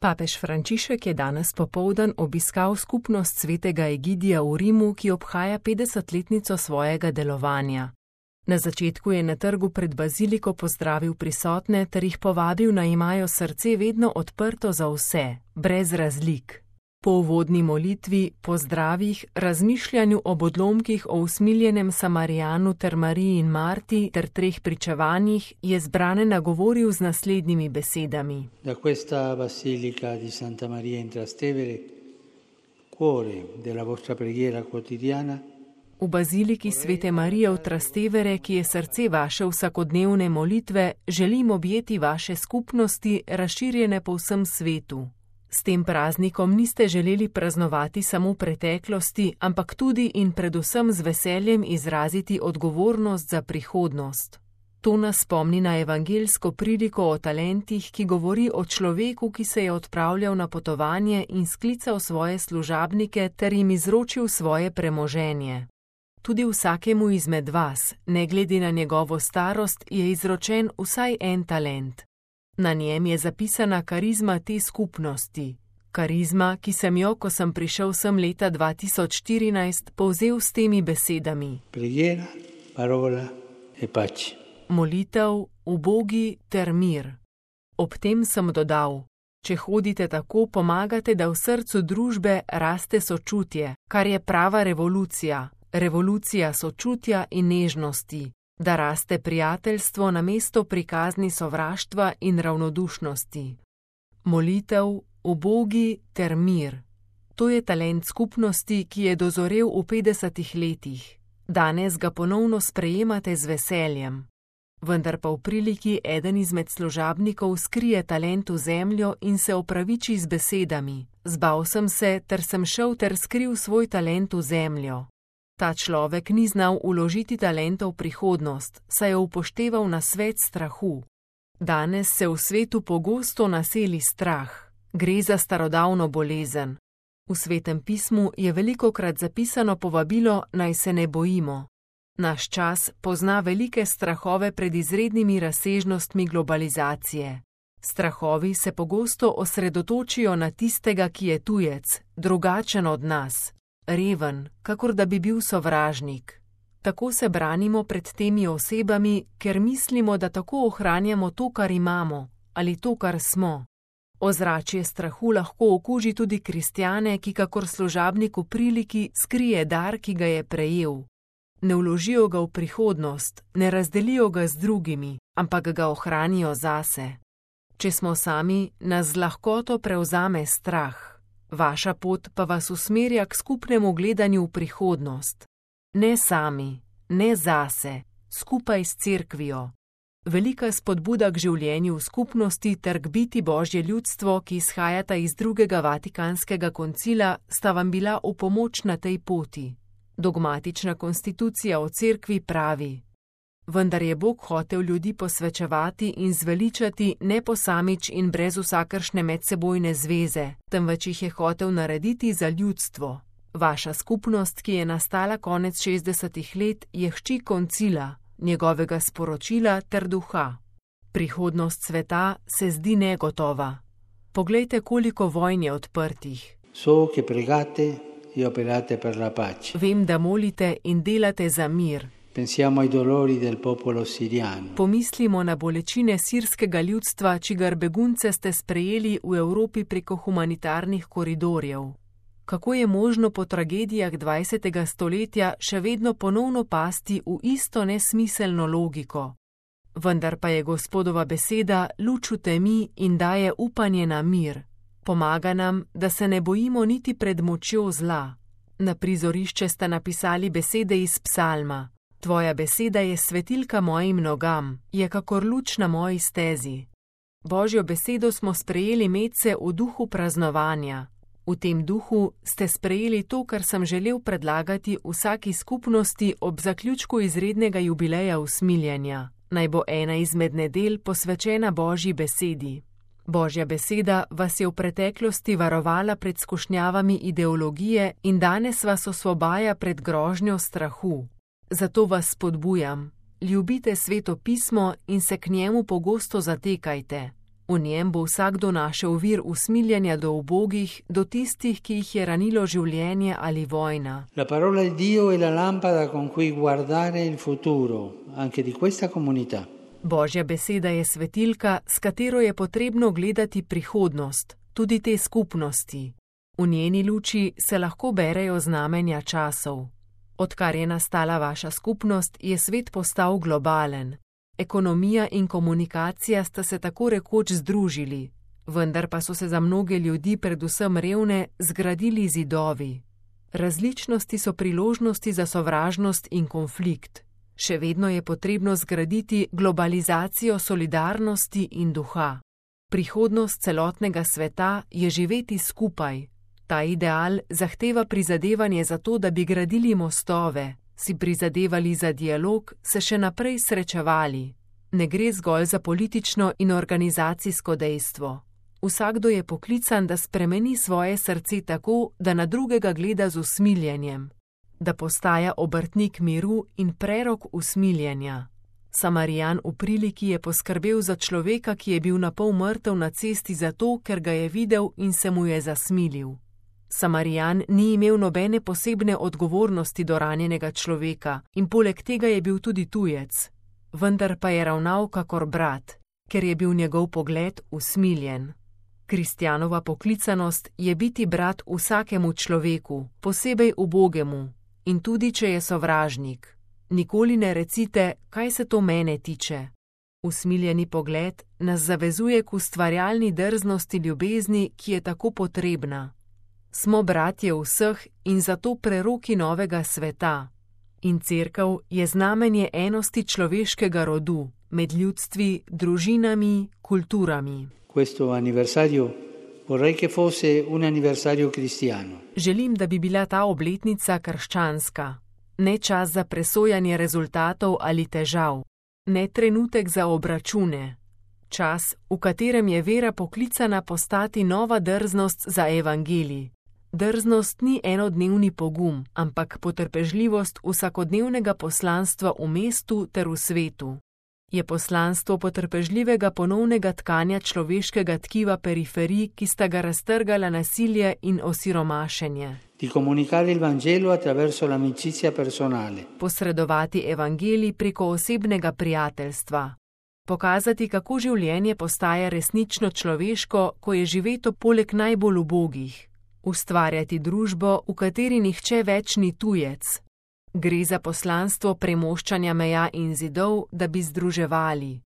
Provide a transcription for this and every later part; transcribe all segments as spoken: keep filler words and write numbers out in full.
Papež Frančišek je danes popoldan obiskal skupnost svetega Egidija v Rimu, ki obhaja petdesetletnico svojega delovanja. Na začetku je na trgu pred baziliko pozdravil prisotne ter jih povabil, naj imajo srce vedno odprto za vse, brez razlik. Po uvodni molitvi, pozdravih, razmišljanju ob odlomkih o usmiljenem Samarijanu ter Mariji in Marti ter treh pričevanjih je zbrane nagovoril z naslednjimi besedami. Da questa basilica di Santa Maria in Trastevere, cuore della vostra preghiera quotidiana, V baziliki svete Marije v Trastevere, ki je srce vaše vsakodnevne molitve, želim objeti vaše skupnosti, razširjene po vsem svetu. S tem praznikom niste želeli praznovati samo preteklosti, ampak tudi in predvsem z veseljem izraziti odgovornost za prihodnost. To nas spomni na evangeljsko priliko o talentih, ki govori o človeku, ki se je odpravljal na potovanje in sklical svoje služabnike ter jim izročil svoje premoženje. Tudi vsakemu izmed vas, ne glede na njegovo starost, je izročen vsaj en talent. Na njem je zapisana karizma te skupnosti. Karizma, ki sem jo, ko sem prišel sem leta dva tisoč štirinajst, povzel s temi besedami. Preghiera, parola e pace. Molitev, ubogi ter mir. Ob tem sem dodal, če hodite tako, pomagate, da v srcu družbe raste sočutje, kar je prava revolucija. Revolucija sočutja in nežnosti, da raste prijateljstvo namesto prikazni sovraštva in ravnodušnosti. Molitev, ubogi ter mir. To je talent skupnosti, ki je dozorel v petdesetih letih. Danes ga ponovno sprejemate z veseljem. Vendar pa v priliki eden izmed služabnikov skrije talent v zemljo in se opraviči z besedami. Zbal sem se, ter sem šel ter skril svoj talent v zemljo. Ta človek ni znal vložiti talenta v prihodnost, saj je upošteval nasvet strahu. Danes se v svetu pogosto naseli strah. Gre za starodavno bolezen. V Svetem pismu je velikokrat zapisano povabilo, naj se ne bojimo. Naš čas pozna velike strahove pred izrednimi razsežnostmi globalizacije. Strahovi se pogosto osredotočijo na tistega, ki je tujec, drugačen od nas. Reven, kakor da bi bil sovražnik. Tako se branimo pred temi osebami, ker mislimo, da tako ohranjamo to, kar imamo, ali to, kar smo. Ozračje strahu lahko okuži tudi kristjane, ki kakor služabnik v priliki skrije dar, ki ga je prejel. Ne vložijo ga v prihodnost, ne razdelijo ga z drugimi, ampak ga ohranijo zase. Če smo sami, nas z lahkoto prevzame strah. Vaša pot pa vas usmerja k skupnemu gledanju v prihodnost. Ne sami, ne zase, skupaj s cerkvijo. Velika spodbuda k življenju v skupnosti ter k biti Božje ljudstvo, ki izhajata iz drugega Vatikanskega koncila, sta vam bila v pomoč na tej poti. Dogmatična konstitucija o cerkvi pravi: vendar je Bog hotel ljudi posvečevati in zveličati ne posamič in brez vsakršne medsebojne zveze, temveč jih je hotel narediti za ljudstvo. Vaša skupnost, ki je nastala konec šestdesetih let, je hči koncila, njegovega sporočila ter duha. Prihodnost sveta se zdi negotova. Poglejte, koliko vojn je odprtih. So che pregate e operate per la pace. Vem, da molite in delate za mir. Pensiamo ai dolori del popolo siriano. Pomislimo na bolečine sirskega ljudstva, čigar begunce ste sprejeli v Evropi preko humanitarnih koridorjev. Kako je možno po tragedijah dvajsetega stoletja še vedno ponovno pasti v isto nesmiselno logiko? Vendar pa je Gospodova beseda luč v temi in daje upanje na mir. Pomaga nam, da se ne bojimo niti pred močjo zla. Na prizorišče ste napisali besede iz psalma. Tvoja beseda je svetilka mojim nogam, je kakor luč na moji stezi. Božjo besedo smo sprejeli medse v duhu praznovanja. V tem duhu ste sprejeli to, kar sem želel predlagati vsaki skupnosti ob zaključku izrednega jubileja usmiljenja. Naj bo ena izmed nedelj posvečena Božji besedi. Božja beseda vas je v preteklosti varovala pred skušnjavami ideologije in danes vas osvobaja pred grožnjo strahu. Zato vas spodbujam, ljubite Sveto pismo in se k njemu pogosto zatekajte. V njem bo vsakdo našel vir usmiljenja do ubogih, do tistih, ki jih je ranilo življenje ali vojna. La parola di Dio è la lampada con cui guardare il futuro, anche di questa comunità. Božja beseda je svetilka, s katero je potrebno gledati prihodnost, tudi te skupnosti. V njeni luči se lahko berejo znamenja časov. Odkar je nastala vaša skupnost, je svet postal globalen. Ekonomija in komunikacija sta se tako rekoč združili, vendar pa so se za mnoge ljudi, predvsem revne, zgradili zidovi. Različnosti so priložnosti za sovražnost in konflikt. Še vedno je potrebno zgraditi globalizacijo solidarnosti in duha. Prihodnost celotnega sveta je živeti skupaj. Ta ideal zahteva prizadevanje za to, da bi gradili mostove, si prizadevali za dialog, se še naprej srečevali. Ne gre zgolj za politično in organizacijsko dejstvo. Vsakdo je poklican, da spremeni svoje srce tako, da na drugega gleda z usmiljenjem, da postaja obrtnik miru in prerok usmiljenja. Samarijan v priliki je poskrbel za človeka, ki je bil napol mrtev na cesti zato, ker ga je videl in se mu je zasmilil. Samarijan ni imel nobene posebne odgovornosti do ranjenega človeka in poleg tega je bil tudi tujec, vendar pa je ravnal kakor brat, ker je bil njegov pogled usmiljen. Kristjanova poklicanost je biti brat vsakemu človeku, posebej ubogemu, in tudi če je sovražnik. Nikoli ne recite, kaj se to mene tiče. Usmiljeni pogled nas zavezuje k ustvarjalni drznosti ljubezni, ki je tako potrebna. Smo bratje vseh in zato preroki novega sveta. In cerkev je znamenje enosti človeškega rodu, med ljudstvi, družinami, kulturami. Questo anniversario vorrei che fosse un anniversario cristiano. Želim, da bi bila ta obletnica krščanska. Ne čas za presojanje rezultatov ali težav. Ne trenutek za obračune. Čas, v katerem je vera poklicana postati nova drznost za evangelij. Drznost ni enodnevni pogum, ampak potrpežljivost vsakodnevnega poslanstva v mestu ter v svetu. Je poslanstvo potrpežljivega ponovnega tkanja človeškega tkiva periferij, ki sta ga raztrgala nasilje in osiromašenje. Di comunicare il Vangelo attraverso l'amicizia personale. Posredovati evangelij preko osebnega prijateljstva. Pokazati, kako življenje postaja resnično človeško, ko je živeto poleg najbolj ubogih. Ustvarjati družbo, v kateri nihče več ni tujec. Gre za poslanstvo premoščanja meja in zidov, da bi združevali.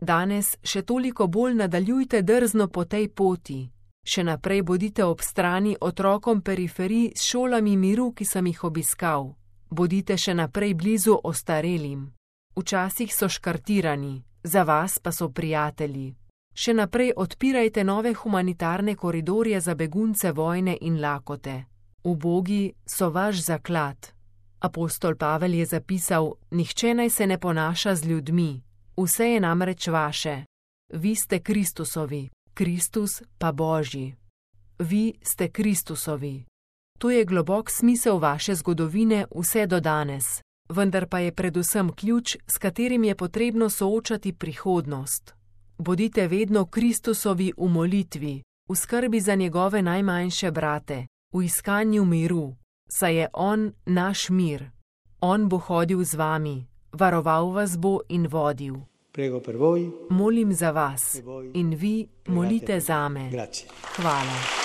Danes še toliko bolj nadaljujte drzno po tej poti. Še naprej bodite ob strani otrokom periferij s šolami miru, ki sem jih obiskal. Bodite še naprej blizu ostarelim. Včasih so škartirani, za vas pa so prijatelji. Še naprej odpirajte nove humanitarne koridorje za begunce vojne in lakote. Ubogi so vaš zaklad. Apostol Pavel je zapisal, nihče naj se ne ponaša z ljudmi, vse je namreč vaše. Vi ste Kristusovi, Kristus pa Božji. Vi ste Kristusovi. To je globok smisel vaše zgodovine vse do danes, vendar pa je predvsem ključ, s katerim je potrebno soočati prihodnost. Bodite vedno Kristusovi v molitvi, v skrbi za njegove najmanjše brate, v iskanju miru, saj je on naš mir. On bo hodil z vami, varoval vas bo in vodil. Prego per voi. Molim za vas in vi molite zame. Grazie. Hvala.